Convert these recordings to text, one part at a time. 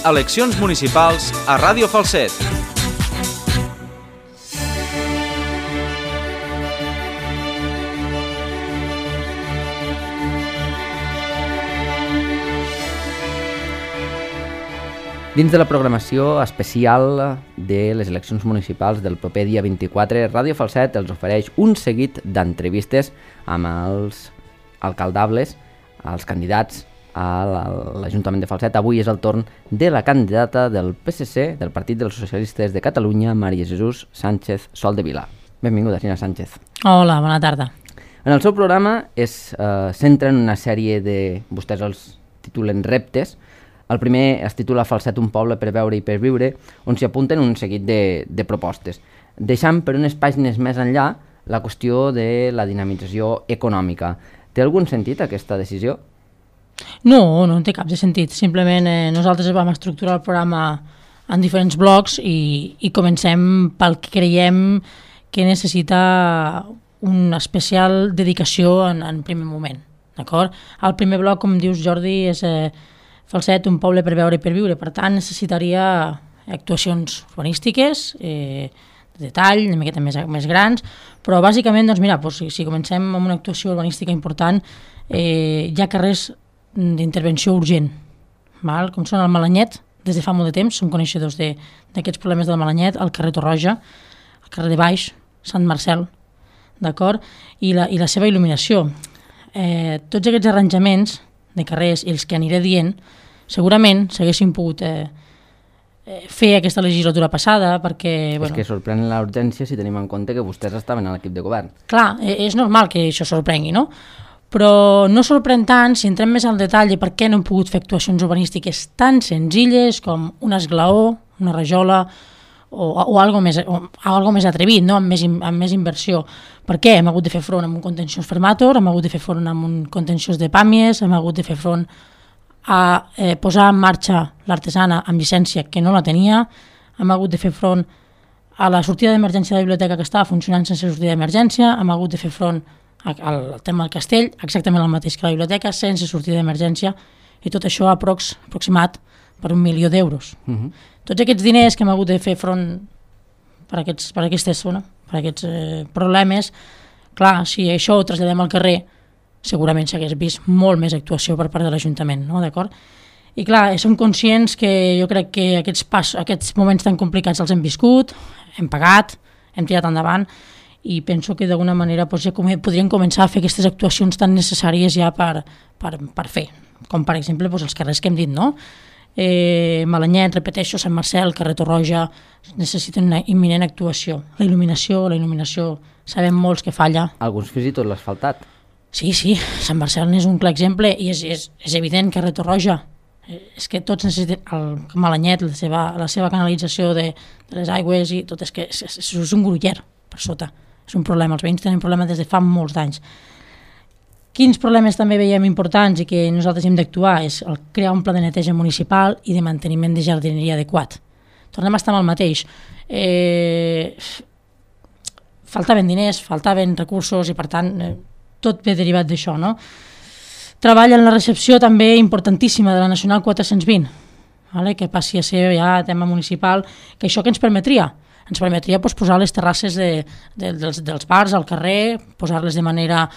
eleccions municipals a Ràdio Falset. Dins de la programació especial de les eleccions municipals del proper dia 24, Ràdio Falset els ofereix un seguit d'entrevistes amb els alcaldables, els candidats a l'Ajuntament de Falset. Avui és el torn de la candidata del PSC, del Partit dels Socialistes de Catalunya, Maria Jesús Sánchez Soldevila. Benvinguda, senyora Sánchez. Hola, bona tarda. En el seu programa es centra en una sèrie de... vostès els titulen reptes. El primer es titula Falset, un poble per veure i per viure, on s'hi apunten un seguit de propostes, deixant per unes pàgines més enllà la qüestió de la dinamització econòmica. Té algun sentit aquesta decisió? No, no té cap de sentit. Simplement nosaltres vam estructurar el programa en diferents blocs i comencem pel que creiem que necessita una especial dedicació en primer moment. D'acord? El primer bloc, com dius, Jordi, és... Falset, un poble per veure i per viure. Per tant, necessitaria actuacions urbanístiques, de detall, una miqueta més grans, però bàsicament, doncs mira, si comencem amb una actuació urbanística important, hi ha carrers d'intervenció urgent, val? Com són el Malanyet, des de fa molt de temps, som coneixedors d'aquests problemes del Malanyet, el carrer Torroja, el carrer de Baix, Sant Marcel, d'acord? I la seva il·luminació. Tots aquests arranjaments de carrers i els que aniré dient, segurament s'haguessin pogut fer aquesta legislatura passada perquè... És que sorprèn la urgència si tenim en compte que vostès estaven a l'equip de govern. Clar, és normal que això sorprengui, no? Però no sorprèn tant si entrem més al detall de per què no hem pogut fer actuacions urbanístiques tan senzilles com un esglaó, una rajola o algo més atrevit, no? amb més inversió. Per què? Hem hagut de fer front amb un contenciós Fermator, hem hagut de fer front amb un contenciós de Pàmies, hem hagut de fer front a posar en marxa l'artesana amb llicència que no la tenia, hem hagut de fer front a la sortida d'emergència de la biblioteca que estava funcionant sense sortida d'emergència, hem hagut de fer front al tema del castell, exactament el mateix que la biblioteca, sense sortida d'emergència, i tot això aproximat per 1 milió d'euros. Tots aquests diners que hem hagut de fer front per aquests problemes, clar, si això ho traslladem al carrer, segurament s'hagués vist molt més actuació per part de l'Ajuntament, no? D'acord? I clar, som conscients que jo crec que aquests moments tan complicats els hem viscut, hem pagat, hem tirat endavant, i penso que d'alguna manera ja podríem començar a fer aquestes actuacions tan necessàries ja per fer, com per exemple els carrers que hem dit, no? Malanyet, repeteixo, Sant Marcel, carrer Torroja, necessiten una imminent actuació. La il·luminació, sabem molts que falla. Alguns fins i tot l'ha asfaltat. Sí, Sant Marcel n'és un clar exemple i és evident, carrer Torroja. És que tots necessiten el Malanyet, la seva canalització de les aigües i tot, és que és un gruller per sota. És un problema, els veïns tenen problema des de fa molts d'anys. Quins problemes també veiem importants i que nosaltres hem d'actuar és crear un pla de neteja municipal i de manteniment de jardineria adequat. Tornem a estar amb el mateix. Faltaven diners, faltaven recursos i per tant tot ve derivat d'això, no? Treball en la recepció també importantíssima de la Nacional 420, que passi a ser ja tema municipal, que això que ens permetria? Ens permetria posar les terrasses dels bars al carrer, posar-les de manera...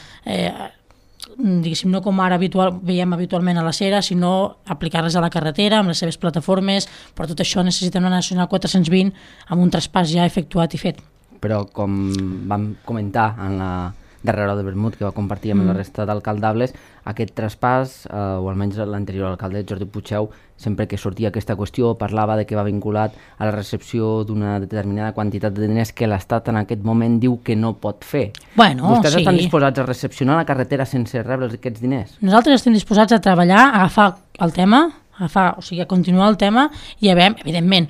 diguéssim, no com ara veiem habitualment a la Cera, sinó aplicar-les a la carretera amb les seves plataformes, però tot això necessita una Nacional 420 amb un traspàs ja efectuat i fet. Però com vam comentar en la darrera de vermut que va compartir amb la resta d'alcaldables, aquest traspàs, o almenys l'anterior alcalde, Jordi Puigdeu, sempre que sortia aquesta qüestió parlava de que va vinculat a la recepció d'una determinada quantitat de diners que l'Estat en aquest moment diu que no pot fer. Vostès estan disposats a recepcionar la carretera sense rebre aquests diners? Nosaltres estem disposats a treballar, a agafar el tema, a continuar el tema i a veure, evidentment,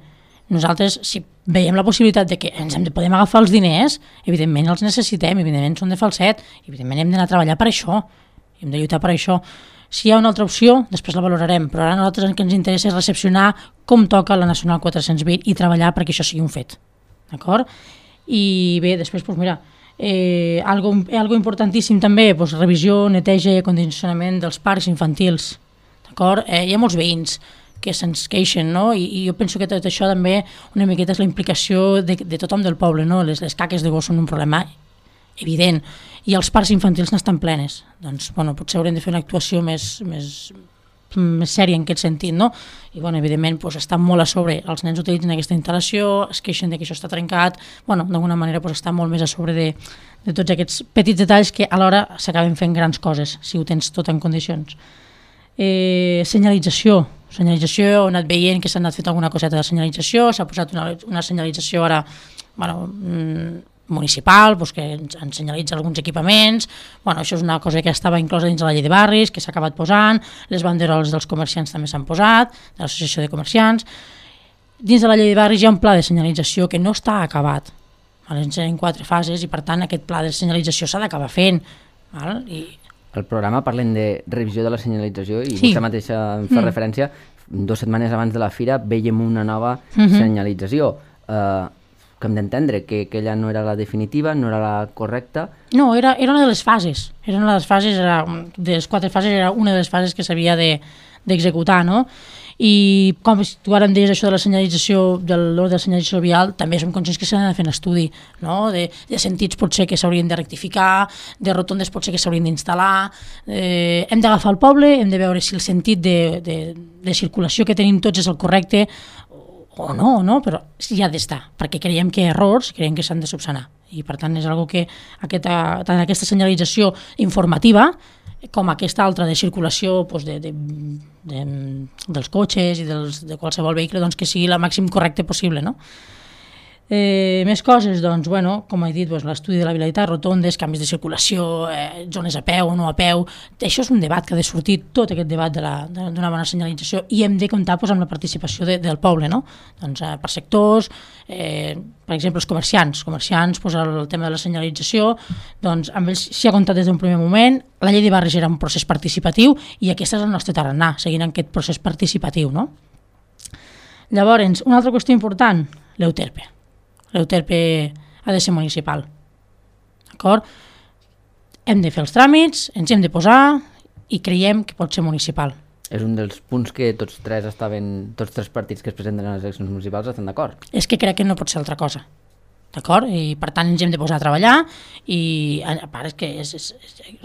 nosaltres, si veiem la possibilitat de que ens podem agafar els diners, evidentment els necessitem, evidentment són de Falset, evidentment hem d'anar a treballar per això, hem de lluitar per això. Si hi ha una altra opció, després la valorarem, però ara a nosaltres el que ens interessa és recepcionar com toca la Nacional 420 i treballar perquè això sigui un fet. D'acord? I bé, després, doncs mira, algo importantíssim també, revisió, neteja i acondicionament dels parcs infantils. D'acord? Hi ha molts veïns que se'ns queixen, no? I jo penso que tot això també una miqueta és la implicació de tothom del poble, no? Les caques de gos són un problema evident i els parcs infantils n'estan plenes. Doncs, bueno, potser haurem de fer una actuació més sèria en aquest sentit, no? I, bueno, evidentment, doncs, està molt a sobre. Els nens utilitzen aquesta instal·lació, es queixen de que això està trencat, bueno, d'alguna manera doncs, està molt més a sobre de tots aquests petits detalls que alhora s'acaben fent grans coses, si ho tens tot en condicions. Senyalització, he anat veient que s'ha anat fent alguna coseta de senyalització, s'ha posat una senyalització ara, bueno, municipal, doncs que ens senyalitza alguns equipaments, bueno, això és una cosa que estava inclosa dins de la llei de barris, que s'ha acabat posant, les banderoles dels comerciants també s'han posat, de l'associació de comerciants. Dins de la llei de barris hi ha un pla de senyalització que no està acabat, en 4 fases, i per tant aquest pla de senyalització s'ha d'acabar fent. I al programa parlem de revisió de la senyalització i vostè mateixa em fa referència, 2 setmanes abans de la fira veiem una nova senyalització. Que hem d'entendre que aquella no era la definitiva, no era la correcta. No, era una de les fases. De les 4 fases era una de les fases que s'havia d'executar, no? I com tu ara em deies això de la senyalització, de l'ordre de senyalització vial, també som conscients que s'ha de fer un estudi, no? De sentits potser que s'haurien de rectificar, de rotondes potser que s'haurien d'instal·lar. Hem d'agafar el poble, hem de veure si el sentit de circulació que tenim tots és el correcte o no, però sí ha d'estar, perquè creiem que hi ha errors, creiem que s'han de subsanar. I per tant és una que tant aquesta senyalització informativa com aquesta altra de circulació dels cotxes i de qualsevol vehicle, doncs que sigui el màxim correcte possible, no? Més coses, doncs, bueno, com he dit, l'estudi de la vialitat, rotondes, canvis de circulació, zones a peu o no a peu, això és un debat que ha de sortir, tot aquest debat d'una bona senyalització, i hem de comptar amb la participació del poble, no? Doncs per sectors, per exemple, els comerciants, el tema de la senyalització, doncs amb ells s'hi ha comptat des d'un primer moment, la llei de barris era un procés participatiu i aquest és el nostre tarannà, seguint aquest procés participatiu, no? Llavors, una altra qüestió important, l'EUTERPE. L'EUTERPE ha de ser municipal, d'acord? Hem de fer els tràmits, ens hem de posar i creiem que pot ser municipal. És un dels punts que tots tres partits que es presenten a les eleccions municipals estan d'acord. És que crec que no pot ser altra cosa, d'acord? I per tant ens hem de posar a treballar i a part és que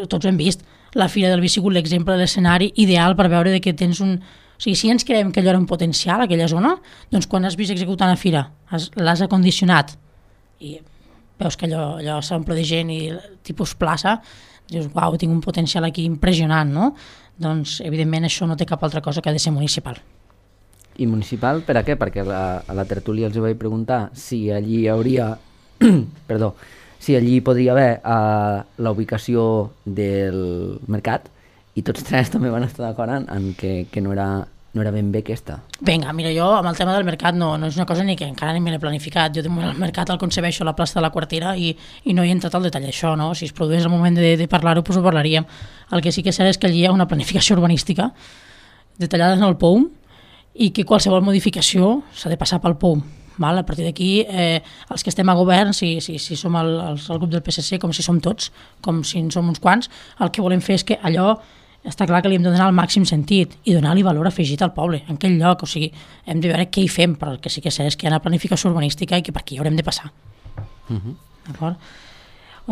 tots ho hem vist, la Fira del Vi ha sigut l'exemple de l'escenari ideal per veure que tens un... O sigui, si ens creiem que allò era un potencial, aquella zona, doncs quan has vist executar una fira, l'has acondicionat i veus que allò s'omple de gent i tipus plaça, dius, uau, tinc un potencial aquí impressionant, no? Doncs, evidentment, això no té cap altra cosa que ha de ser municipal. I municipal per a què? Perquè a la tertúlia els vaig preguntar si allí hi hauria... Perdó, si allí podria haver la ubicació del mercat, i tots tres també van estar d'acord en que no era ben bé aquesta. Vinga, mira, jo amb el tema del mercat no és una cosa ni que encara ni me l'he planificat. Jo de moment el mercat el concebeixo a la plaça de la Quartera i no he entrat al detall d'això, no? Si es produís el moment de parlar-ho, doncs ho parlaríem. El que sí que és cert és que allí hi ha una planificació urbanística detallada en el POUM i que qualsevol modificació s'ha de passar pel POUM. Val? A partir d'aquí, els que estem a govern, si som el grup del PSC, com si som tots, com si en som uns quants, el que volem fer és que allò està clar que li hem de donar el màxim sentit i donar-li valor afegit al poble, en aquell lloc. O sigui, hem de veure què hi fem, però el que sí que sé és que hi ha una planificació urbanística i que per aquí hi haurem de passar. D'acord?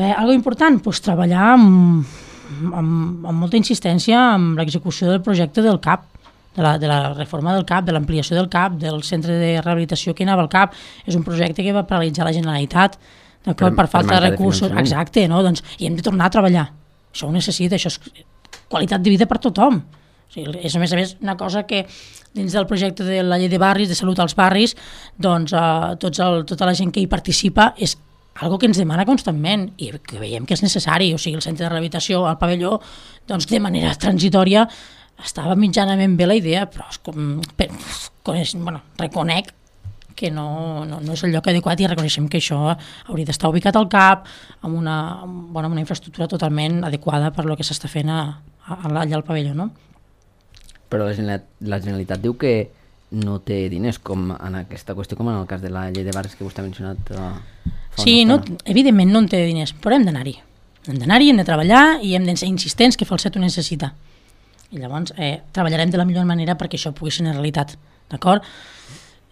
Algo important, doncs treballar amb molta insistència amb l'execució del projecte del CAP, de la reforma del CAP, de l'ampliació del CAP, del centre de rehabilitació que anava al CAP. És un projecte que va paralitzar la Generalitat, d'acord, per falta de recursos. Exacte, no? Doncs, i hem de tornar a treballar. Això ho necessita, això és qualitat de vida per tothom. O sigui, és a més una cosa que dins del projecte de la llei de barris, de salut als barris, doncs tota la gent que hi participa és algo que ens demana constantment i que veiem que és necessari. O sigui, el centre de rehabilitació, el pavelló, doncs de manera transitòria estava mitjanament bé la idea, però reconec que no és el lloc adequat i reconeixem que això hauria d'estar ubicat al CAP amb una infraestructura totalment adequada per lo que s'està fent allà al pavelló, no? Però la Generalitat diu que no té diners, com en aquesta qüestió, com en el cas de la llei de barris que vostè ha mencionat sí, evidentment no en té diners, però hem d'anar-hi. Hem d'anar-hi, hem de treballar i hem de ser insistents que Falset ho necessita. I llavors treballarem de la millor manera perquè això pugui ser una realitat, d'acord?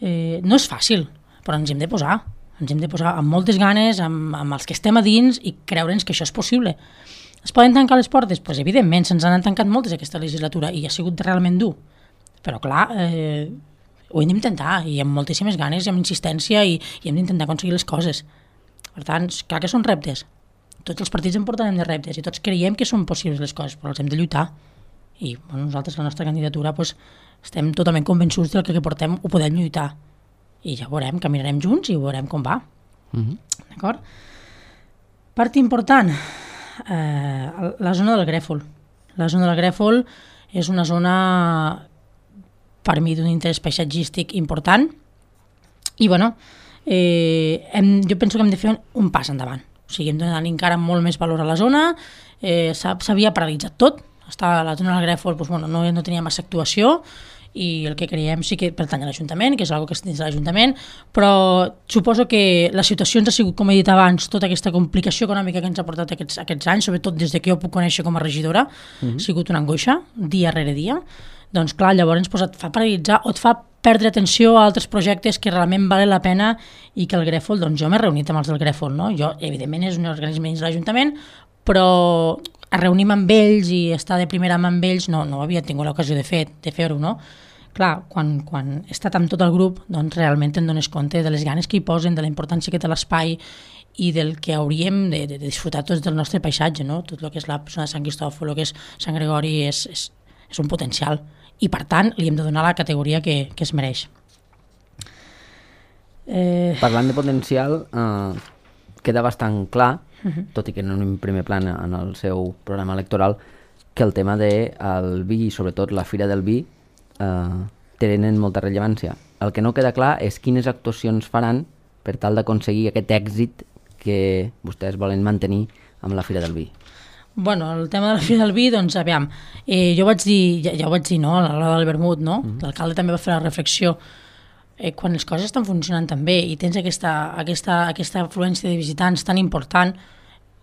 No és fàcil, però ens hem de posar amb moltes ganes, amb els que estem a dins i creure'ns que això és possible. Es poden tancar les portes? Doncs evidentment, se'ns han tancat moltes aquesta legislatura i ha sigut realment dur. Però clar, ho hem d'intentar i amb moltíssimes ganes i amb insistència i hem d'intentar aconseguir les coses. Per tant, clar que són reptes. Tots els partits en portarem de reptes i tots creiem que són possibles les coses, però els hem de lluitar. I nosaltres, la nostra candidatura, estem totalment convençuts del que portem, ho podem lluitar. I ja veurem, caminarem junts i veurem com va. D'acord? Part important, la zona del Grèfol. La zona del Grèfol és una zona, per mi, d'un interès paisatgístic important i, jo penso que hem de fer un pas endavant. O sigui, hem de donar encara molt més valor a la zona, s'havia paralitzat tot, la zona del Grèfol no tenia massa actuació, i el que creiem sí que pertany a l'Ajuntament, que és una cosa que està dins de l'Ajuntament, però suposo que la situació ens ha sigut, com he dit abans, tota aquesta complicació econòmica que ens ha portat aquests anys, sobretot des que jo puc conèixer com a regidora, ha sigut una angoixa, dia rere dia. Doncs clar, llavors et fa paralitzar o et fa perdre atenció a altres projectes que realment valen la pena i que el Grèfol, doncs jo m'he reunit amb els del Grèfol, no? Jo, evidentment, és un organisme dins de l'Ajuntament, però a reunir-me amb ells i estar de primera mà amb ells no havia tingut l'ocasió de fer-ho, no? Clar, quan he estat amb tot el grup, doncs realment te'n dones compte de les ganes que hi posen, de la importància que té l'espai i del que hauríem de disfrutar tots del nostre paisatge, no? Tot el que és la zona de Sant Cristòfol, el que és Sant Gregori, és un potencial i per tant li hem de donar la categoria que es mereix. Parlant de potencial, queda bastant clar, tot i que no en un primer plan en el seu programa electoral, que el tema del vi i sobretot la Fira del Vi tenen molta rellevància. El que no queda clar és quines actuacions faran per tal d'aconseguir aquest èxit que vostès volen mantenir amb la Fira del Vi. El tema de la Fira del Vi, doncs, aviam, jo vaig dir, ja ho vaig dir, no?, a l'hora del vermut, no? L'alcalde també va fer la reflexió. Quan les coses estan funcionant tan bé i tens aquesta afluència de visitants tan important,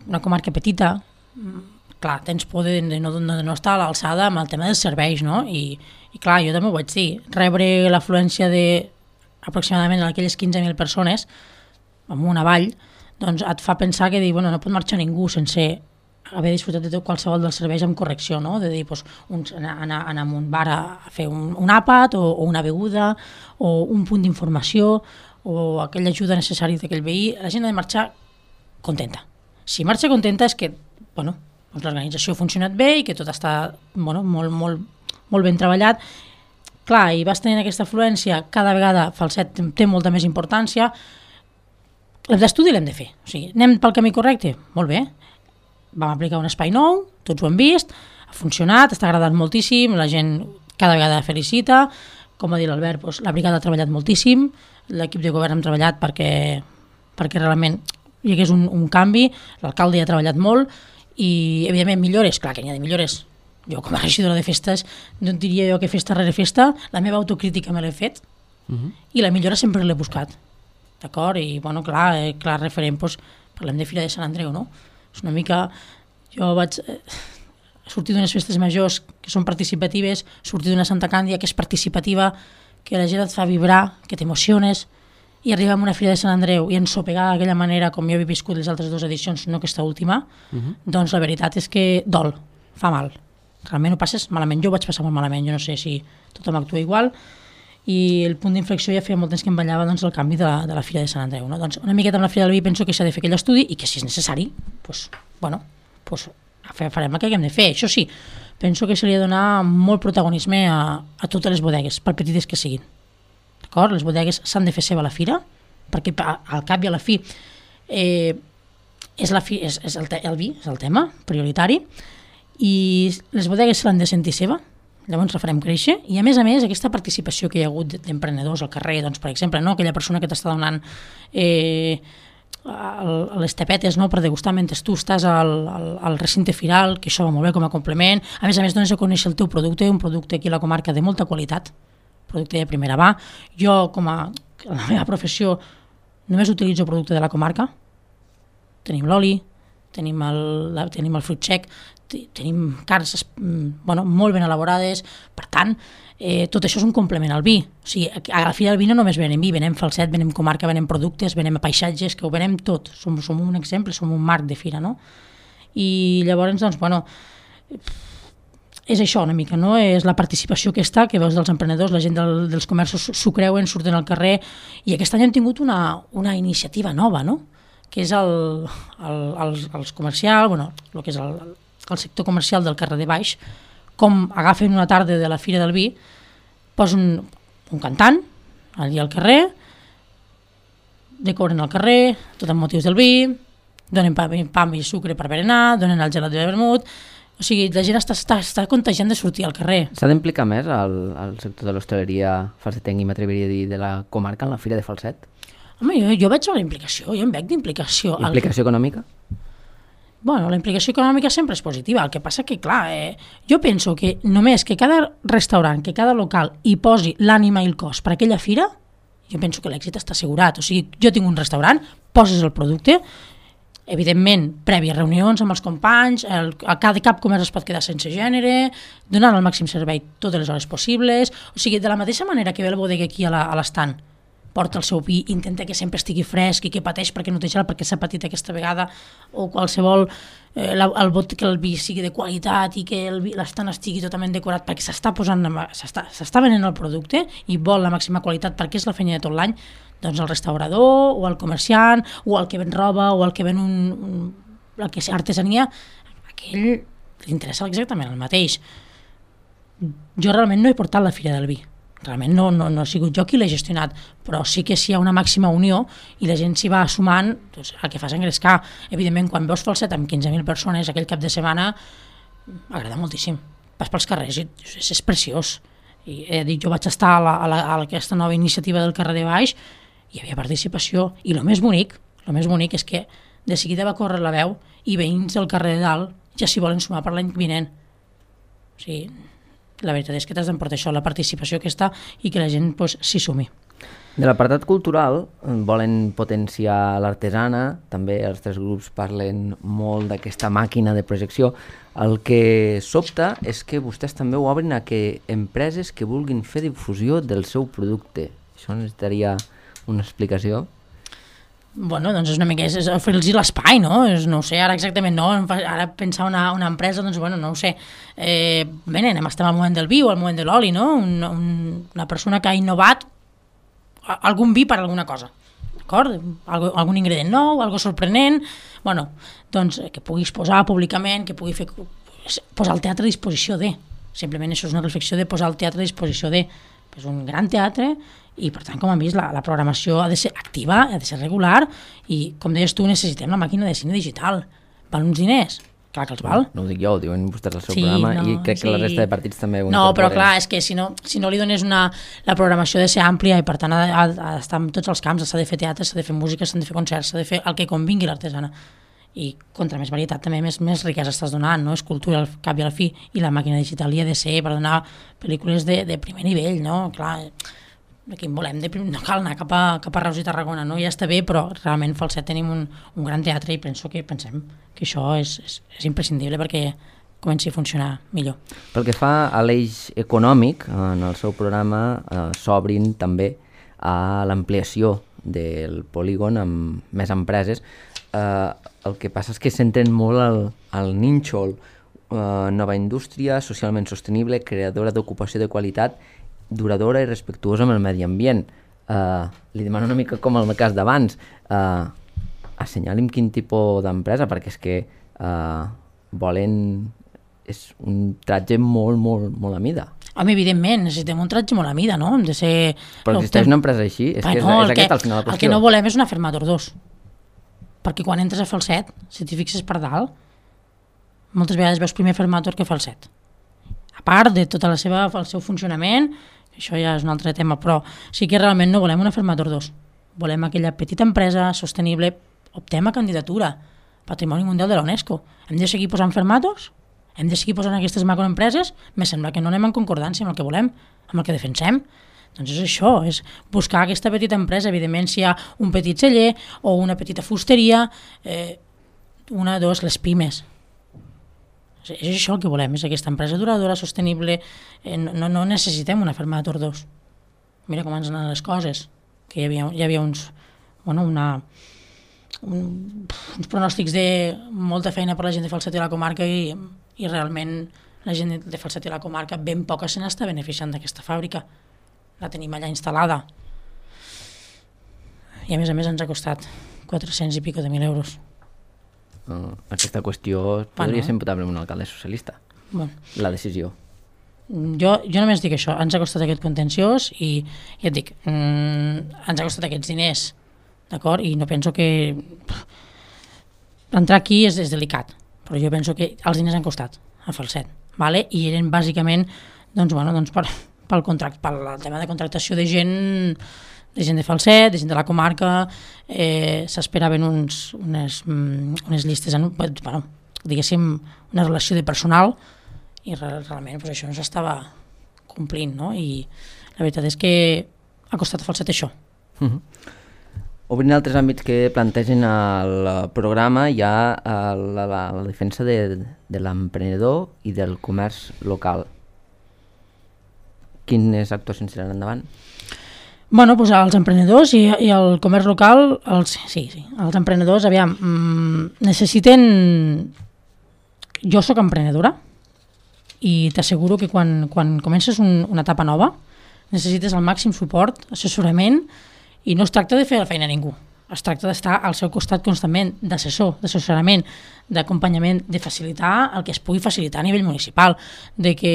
una comarca petita, clar, tens por de no estar a l'alçada amb el tema dels serveis, no? I clar, jo també ho vaig dir, rebre l'afluència d'aproximadament aquelles 15.000 persones amunt avall, doncs et fa pensar que no pot marxar ningú sense haver disfrutat de tot qualsevol dels serveis amb correcció, no? De dir, anar a un bar a fer un àpat o una beguda o un punt d'informació o aquella ajuda necessària d'aquell veí, la gent ha de marxar contenta. Si marxa contenta és que l'organització ha funcionat bé i que tot està molt ben treballat. Clar, i vas tenint aquesta afluència, cada vegada Falset té molta més importància. L'estudi l'hem de fer. O sigui, anem pel camí correcte? Molt bé. Vam aplicar un espai nou, tots ho hem vist, ha funcionat, està agradant moltíssim, la gent cada vegada felicita, com va dir l'Albert, la brigada ha treballat moltíssim, l'equip de govern hem treballat perquè realment hi hagués un canvi, l'alcalde ha treballat molt i, evidentment, millores, clar que n'hi ha de millores. Jo, com a regidora de festes, no et diria jo que festa rere festa, la meva autocrítica me l'he fet i la millora sempre l'he buscat, d'acord? I, clar, referent, parlem de Fira de Sant Andreu, no? És una mica... Jo vaig sortir d'unes festes majors que són participatives, sortir d'una Santa Càndia que és participativa, que la gent et fa vibrar, que t'emociones, i arribar a una Fira de Sant Andreu i ensopegar d'aquella manera com jo he viscut les altres 2 edicions, no aquesta última, doncs la veritat és que dol, fa mal. Realment ho passes malament. Jo ho vaig passar molt malament, jo no sé si tothom actua igual, i el punt d'inflexió ja feia molt temps que em ballava el canvi de la Fira de Sant Andreu. No? Doncs una miqueta amb la Fira del Vi penso que s'ha de fer aquell estudi i que si és necessari, farem el que haguem de fer. Això sí, penso que se li ha de donar molt protagonisme a totes les bodegues, per petites que siguin. D'acord? Les bodegues s'han de fer seva a la fira, perquè al cap i a la fi és el vi, és el tema prioritari, i les bodegues se l'han de sentir seva, llavors la farem créixer, i a més, aquesta participació que hi ha hagut d'emprenedors al carrer, doncs, per exemple, no? Aquella persona que t'està donant les tapetes, no? Per degustar mentre tu estàs al recinte firal, que això va molt bé com a complement, a més dones a conèixer el teu producte, un producte aquí a la comarca de molta qualitat, producte de primera mà. Jo, com a la meva professió, només utilitzo producte de la comarca. Tenim l'oli, tenim el fruit sec, tenim carns molt ben elaborades, per tant, tot això és un complement al vi. O sigui, a la Fira del Vi no només venem vi, venem Falset, venem comarca, venem productes, venem paisatges, que ho venem tot. Som un exemple, som un marc de fira, no? I llavors, doncs, és això una mica, no? És la participació que veus dels emprenedors, la gent dels comerços s'ho creuen, surten al carrer, i aquest any hem tingut una iniciativa nova, no? Que és els comercials, el que és el sector comercial del carrer de Baix, com agafen una tarda de la Fira del Vi, posen un cantant allà al carrer, decoren el carrer, tot amb motius del vi, donen pam i sucre per berenar, donen el gelat de vermut, o sigui, la gent està contagiant de sortir al carrer. S'ha d'implicar més al sector de l'hostaleria falsetenc, i m'atreviria a dir, de la comarca en la Fira de Falset? Home, jo veig la implicació, jo em veig d'implicació. Implicació econòmica? La implicació econòmica sempre és positiva, el que passa que, clar, jo penso que només que cada restaurant, que cada local hi posi l'ànima i el cos per aquella fira, jo penso que l'èxit està assegurat. O sigui, jo tinc un restaurant, poses el producte, evidentment, prèvies reunions amb els companys, cap comerç es pot quedar sense gènere, donant el màxim servei totes les hores possibles, o sigui, de la mateixa manera que ve el bodega aquí a l'estant, porta el seu vi, intenta que sempre estigui fresc i que pateix perquè no té gel, perquè s'ha patit aquesta vegada, o qualsevol, que el vi sigui de qualitat i que l'estant estigui totalment decorat perquè s'està venent el producte i vol la màxima qualitat perquè és la feina de tot l'any, doncs el restaurador o el comerciant o el que ven roba o el que ven el que és artesania, aquell li interessa exactament el mateix. Jo realment no he portat la Fira del Vi, realment no ha sigut jo qui l'he gestionat, però sí que si hi ha una màxima unió i la gent s'hi va sumant, doncs el que fa és engrescar. Evidentment, quan veus Falset amb 15.000 persones aquell cap de setmana, m'agrada moltíssim. Vas pels carrers i és preciós. I he dit, jo vaig estar a aquesta nova iniciativa del carrer de Baix, hi havia participació, i el més bonic és que de seguida va córrer la veu i veïns del carrer de dalt ja s'hi volen sumar per l'any vinent. O sigui, la veritat és que t'has d'emportar això, la participació que està i que la gent s'hi sumi. De l'apartat cultural volen potenciar l'artesana, també els tres grups parlen molt d'aquesta màquina de projecció. El que sobta és que vostès també ho obrin a que empreses que vulguin fer difusió del seu producte. Això necessitaria una explicació. Doncs és una mica, és oferir-los l'espai, no? No ho sé, ara exactament no, ara pensar una empresa, doncs no ho sé. Estem al moment del vi o al moment de l'oli, no? Una persona que ha innovat algun vi per alguna cosa, d'acord? Algun ingredient nou, algo sorprenent, doncs que puguis posar públicament, que pugui posar el teatre a disposició de, simplement això és una reflexió de posar el teatre a disposició de, és un gran teatre i per tant, com hem vist, la programació ha de ser activa, ha de ser regular i, com deies tu, necessitem la màquina de cine digital. Val uns diners? Clar que els val. No ho dic jo, ho diuen vostès al seu programa i crec que la resta de partits també ho incorporen. No, però clar, és que si no li dones la programació ha de ser àmplia i per tant ha d'estar en tots els camps, s'ha de fer teatre, s'ha de fer música, s'ha de fer concerts, s'ha de fer el que convingui l'artesana. I contra més varietat també més riquesa estàs donant, no? És cultura al cap i al fi i la màquina digital hi ha de ser per donar pel·lícules de primer nivell, no? Clar, aquí en volem, no cal anar cap a Reus i Tarragona, no? Ja està bé, però realment Falset tenim un gran teatre i pensem que això és imprescindible perquè comenci a funcionar millor. Pel que fa a l'eix econòmic, en el seu programa s'obrin també a l'ampliació del polígon amb més empreses. El que passa és que s'entén molt al nínxol, nova indústria, socialment sostenible, creadora d'ocupació de qualitat, duradora i respectuosa amb el medi ambient. Li demano una mica com el cas d'abans, assenyali'm quin tipus d'empresa, perquè és que és un tratge molt, molt, molt a mida. Home, evidentment, necessitem un tratge molt a mida, no? Hem de ser... Però existeix una empresa així? És que és aquest al final la qüestió. El que no volem és una Fermator 2. Perquè quan entres a Falset, si t'hi fixes per dalt, moltes vegades veus primer Fermator que Falset. A part de tot el seu funcionament, això ja és un altre tema, però sí que realment no volem una Fermator 2. Volem aquella petita empresa sostenible, optem a candidatura, Patrimoni Mundial de la UNESCO. Hem de seguir posant Fermators? Hem de seguir posant aquestes macroempreses? Me sembla que no anem en concordància amb el que volem, amb el que defensem. Doncs és això, és buscar aquesta petita empresa. Evidentment, si hi ha un petit celler o una petita fusteria, una, dos, les pimes. És això el que volem, és aquesta empresa duradora, sostenible. No necessitem una ferma de tordos. Mira com ens anen les coses, que hi havia uns pronòstics de molta feina per la gent de Falset i la comarca i realment la gent de Falset i la comarca ben poca se n'està beneficiant d'aquesta fàbrica. La tenim allà instal·lada. I a més ens ha costat 400 i pico de 1.000 euros. Aquesta qüestió podria ser imputable amb un alcalde socialista, la decisió. Jo només dic això, ens ha costat aquest contenciós i ja et dic, ens ha costat aquests diners, d'acord? I no penso que entrar aquí és delicat, però jo penso que els diners han costat a Falset, vale? I eren bàsicament pel tema de contractació de gent de Falset, de gent de la comarca. S'esperaven unes llistes, diguéssim, una relació de personal, i realment això no s'estava complint, no? I la veritat és que ha costat a Falset això. Obrint altres àmbits que plantegen al programa, hi ha la defensa de l'emprenedor i del comerç local. Quines actuacions seran endavant? Bueno, doncs els emprenedors i el comerç local, els emprenedors, aviam, necessiten... Jo sóc emprenedora i t'asseguro que quan comences una etapa nova necessites el màxim suport, assessorament, i no es tracta de fer la feina a ningú, es tracta d'estar al seu costat constantment, d'assessorament, d'acompanyament, de facilitar el que es pugui facilitar a nivell municipal, de que,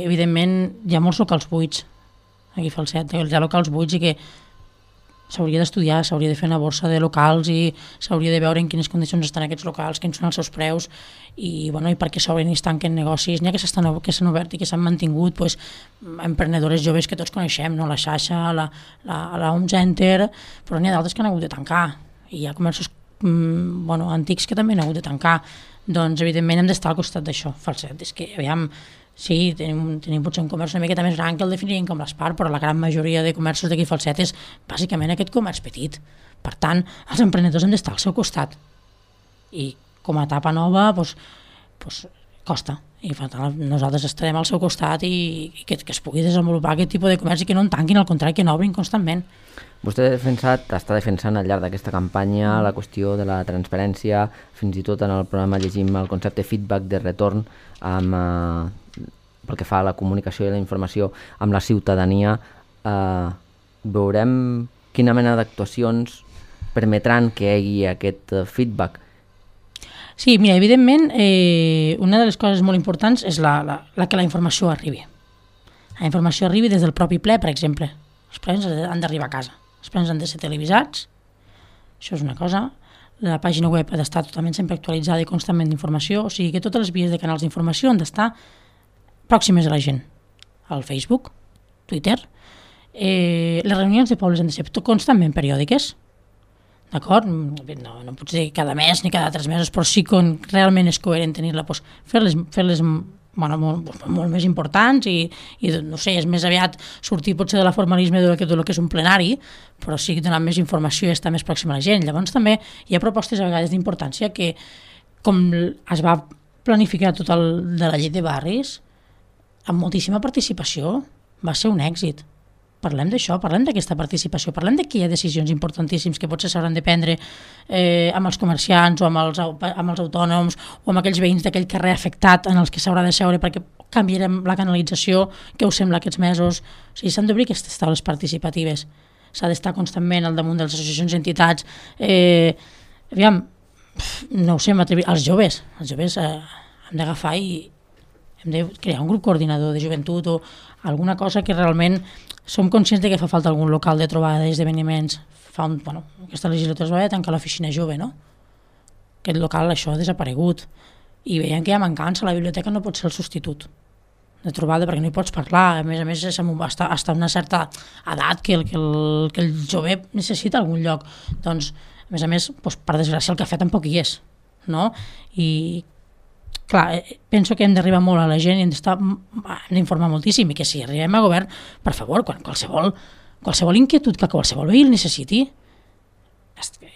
evidentment, hi ha molts locals buits, aquí a Falset, hi ha locals buits i que s'hauria d'estudiar, s'hauria de fer una borsa de locals i s'hauria de veure en quines condicions estan aquests locals, quins són els seus preus i per què s'obren i es tanquen negocis. N'hi ha que s'han obert i que s'han mantingut, emprenedores joves que tots coneixem, no? La Xaixa, la Home Center, però n'hi ha d'altres que han hagut de tancar i hi ha comerços antics que també han hagut de tancar. Doncs evidentment hem d'estar al costat d'això. Falset, és que aviam, sí, tenim potser un comerç una miqueta més gran que el definiríem com l'Espar, però la gran majoria de comerços d'aquí a Falset és bàsicament aquest comerç petit. Per tant, els emprenedors hem d'estar al seu costat. I com a etapa nova, costa. I per tant, nosaltres estarem al seu costat i que es pugui desenvolupar aquest tipus de comerç i que no en tanquin, al contrari, que n'obrin constantment. Vostè està defensant al llarg d'aquesta campanya la qüestió de la transparència, fins i tot en el programa llegim el concepte feedback de retorn pel que fa a la comunicació i la informació amb la ciutadania. Veurem quina mena d'actuacions permetran que hi hagi aquest feedback. Sí, mira, evidentment, una de les coses molt importants és que la informació arribi. La informació arribi des del propi ple, per exemple. Els plens han d'arribar a casa. Els plens han de ser televisats. Això és una cosa. La pàgina web ha d'estar totalment sempre actualitzada i constantment d'informació. O sigui que totes les vies de canals d'informació han d'estar pròximes a la gent. Al Facebook, Twitter. Les reunions de pobles han de ser constantment periòdiques. D'acord? No pot ser cada mes ni cada 3 mesos, però sí que realment és coherent tenir-la, fer-les molt més importants i no sé, és més aviat sortir potser de la formalisme del que és un plenari, però sí donar més informació i estar més pròxim a la gent. Llavors també hi ha propostes a vegades d'importància que, com es va planificar tot el de la llei de barris, amb moltíssima participació, va ser un èxit. Parlem d'això, parlem d'aquesta participació, parlem que hi ha decisions importantíssims que potser s'hauran de prendre amb els comerciants o amb els autònoms o amb aquells veïns d'aquell carrer afectat en els que s'haurà de seure perquè canviarem la canalització, què us sembla aquests mesos. O sigui, s'han d'obrir aquestes taules participatives, s'ha d'estar constantment al damunt de les associacions i entitats. Aviam, no ho sé, els joves hem d'agafar i hem de crear un grup coordinador de joventut o alguna cosa que realment som conscients de que fa falta algun local de trobada d'esdeveniments. Aquesta legislatura es va haver de tancar l'oficina jove, no? Aquest local, això ha desaparegut. I veiem que hi ha mancança, la biblioteca no pot ser el substitut de trobada perquè no hi pots parlar. A més, hasta una certa edat que el jove necessita algun lloc. Doncs, a més, per desgràcia, el cafè tampoc hi és, no? I clar, penso que hem d'arribar molt a la gent i hem d'informar moltíssim i que si arribem a govern, per favor, qualsevol inquietud que qualsevol veí el necessiti,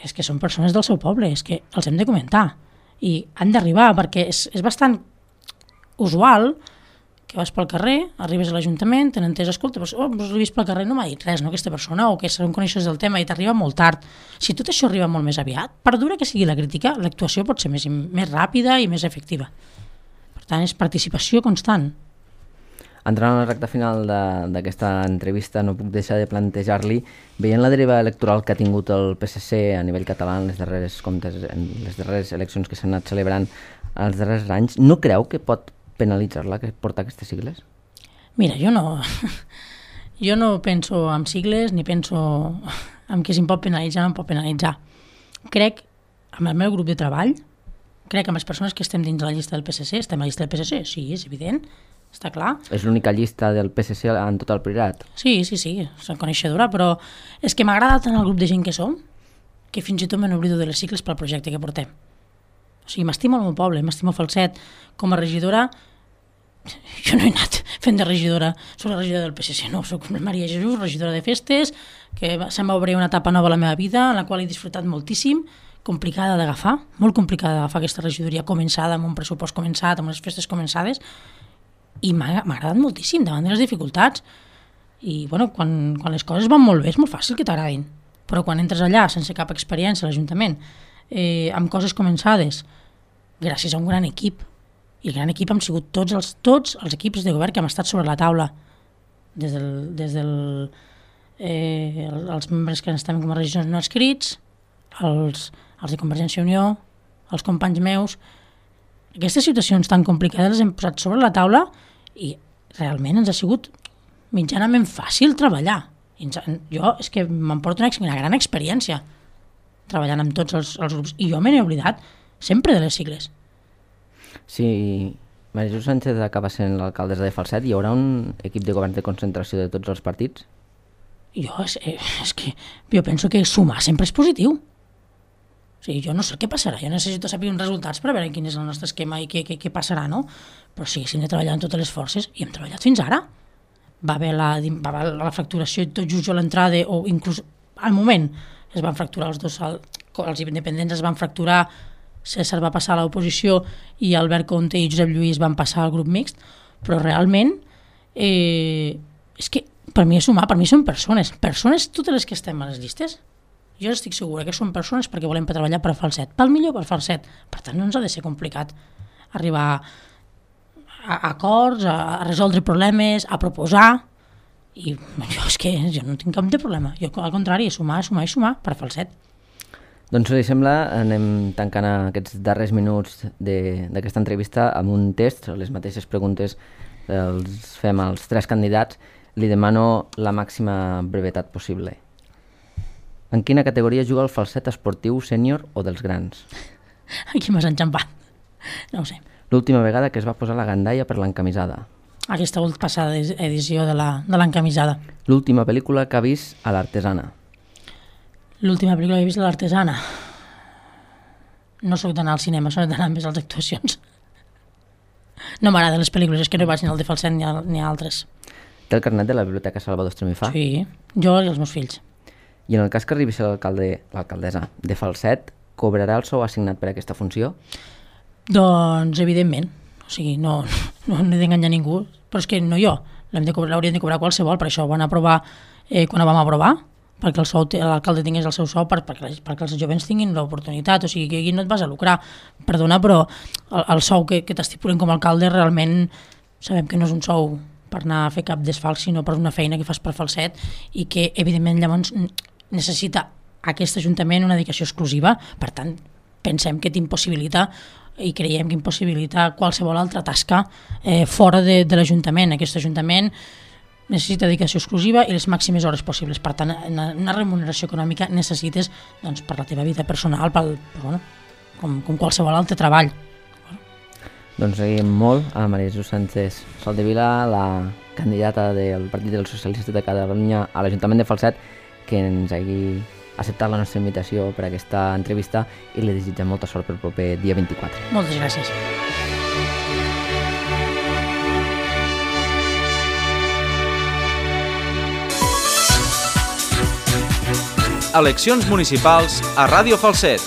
és que són persones del seu poble, és que els hem de comentar i han d'arribar, perquè és bastant usual que vas pel carrer, arribes a l'Ajuntament, t'han entès, escolta, l'he vist pel carrer, no m'ha dit res, no, aquesta persona, o que se'n coneixes del tema i t'arriba molt tard. Si tot això arriba molt més aviat, per dura que sigui la crítica, l'actuació pot ser més ràpida i més efectiva. Per tant, és participació constant. Entrant a la recta final d'aquesta entrevista, no puc deixar de plantejar-li, veient la deriva electoral que ha tingut el PSC a nivell català en les darreres eleccions que s'han anat celebrant els darrers anys, no creu que pot penalitzar-la, que porta aquestes sigles? Mira, jo no penso en sigles ni penso en què se'm pot penalitzar o no em pot penalitzar. Crec, amb el meu grup de treball, crec amb les persones que estem dins de la llista del PSC, estem a la llista del PSC, sí, és evident, està clar. És l'única llista del PSC en tot el Priorat? Sí, soc coneixedora, però és que m'agrada tant el grup de gent que som que fins i tot me n'oblido de les sigles pel projecte que portem. O sigui, m'estimo el meu poble, m'estimo Falset. Com a regidora, jo no he anat fent de regidora, soc la regidora del PSC, no, soc Maria Jesús, regidora de festes, que se'm va obrir una etapa nova a la meva vida, en la qual he disfrutat moltíssim, complicada d'agafar, molt complicada d'agafar aquesta regidoria començada, amb un pressupost començat, amb les festes començades, i m'ha agradat moltíssim davant de les dificultats. I bueno, quan les coses van molt bé és molt fàcil que t'agradin, però quan entres allà sense cap experiència a l'Ajuntament, amb coses començades, gràcies a un gran equip, i el gran equip han sigut tots els equips de govern que han estat sobre la taula, des els membres que estan com a regidors no escrits, els de Convergència i Unió, els companys meus. Aquestes situacions tan complicades les hem posat sobre la taula i realment ens ha sigut mitjanament fàcil treballar. Jo és que m'emporto una gran experiència treballant amb tots els grups, i jo me n'he oblidat sempre de les sigles. Si Maria Jesús Sánchez acaba sent l'alcaldessa de Falset, hi haurà un equip de govern de concentració de tots els partits? Jo penso que sumar sempre és positiu. O sigui, jo no sé què passarà, jo necessito saber uns resultats per veure quin és el nostre esquema i què passarà, no? Però sí, hem de treballar amb totes les forces, i hem treballat fins ara. Va haver la fracturació i tot just a l'entrada, o inclús al moment es van fracturar els independents es van fracturar, César va passar a l'oposició i Albert Conte i Josep Lluís van passar al grup mixt, però realment és que per mi és sumar, per mi són persones totes les que estem a les llistes. Jo estic segura que són persones perquè volem treballar per Falset, pel millor per Falset, per tant no ens ha de ser complicat arribar a acords, a resoldre problemes, a proposar, i jo no tinc cap de problema, jo al contrari, sumar per Falset. Doncs si li sembla, anem tancant aquests darrers minuts d'aquesta entrevista amb un test, les mateixes preguntes els fem als 3 candidats, li demano la màxima brevetat possible. En quina categoria juga el Falset esportiu sènior o dels grans? Aquí m'has enxampat, no ho sé. L'última vegada que es va posar la gandalla per l'encamisada? Aquesta passada edició de l'encamisada. L'última pel·lícula que ha vist a l'Artesana? L'última pel·lícula que he vist a l'Artesana? No soc d'anar al cinema, soc d'anar més a les actuacions. No m'agraden les pel·lícules, és que no vaig ni al de Falset ni a altres. Té el carnet de la Biblioteca Salvador Estremifà? Sí, jo i els meus fills. I en el cas que arribi a ser l'alcaldessa de Falset, cobrarà el sou assignat per aquesta funció? Doncs evidentment, o sigui, no he d'enganyar ningú, però és que no jo, l'haurien de cobrar qualsevol, per això ho van aprovar quan ho vam aprovar, perquè l'alcalde tingués el seu sou perquè els jovens tinguin l'oportunitat, o sigui que aquí no et vas a lucrar, perdona, però el sou que t'estipulen com a alcalde realment sabem que no és un sou per anar a fer cap desfalc, sinó per una feina que fas per Falset i que evidentment llavors necessita aquest Ajuntament una dedicació exclusiva, per tant pensem que t'impossibilita i creiem que impossibilita qualsevol altra tasca fora de l'Ajuntament. Aquest Ajuntament necessita dedicació exclusiva i les màximes hores possibles. Per tant, una remuneració econòmica necessites per la teva vida personal, com qualsevol altre treball. Doncs seguim molt a Maria Jesús Sánchez Soldevila, la candidata del Partit dels Socialistes de Catalunya a l'Ajuntament de Falset, que ens hagi acceptat la nostra invitació per a aquesta entrevista i li desitgem molta sort pel proper dia 24. Moltes gràcies. Eleccions municipals a Ràdio Falset.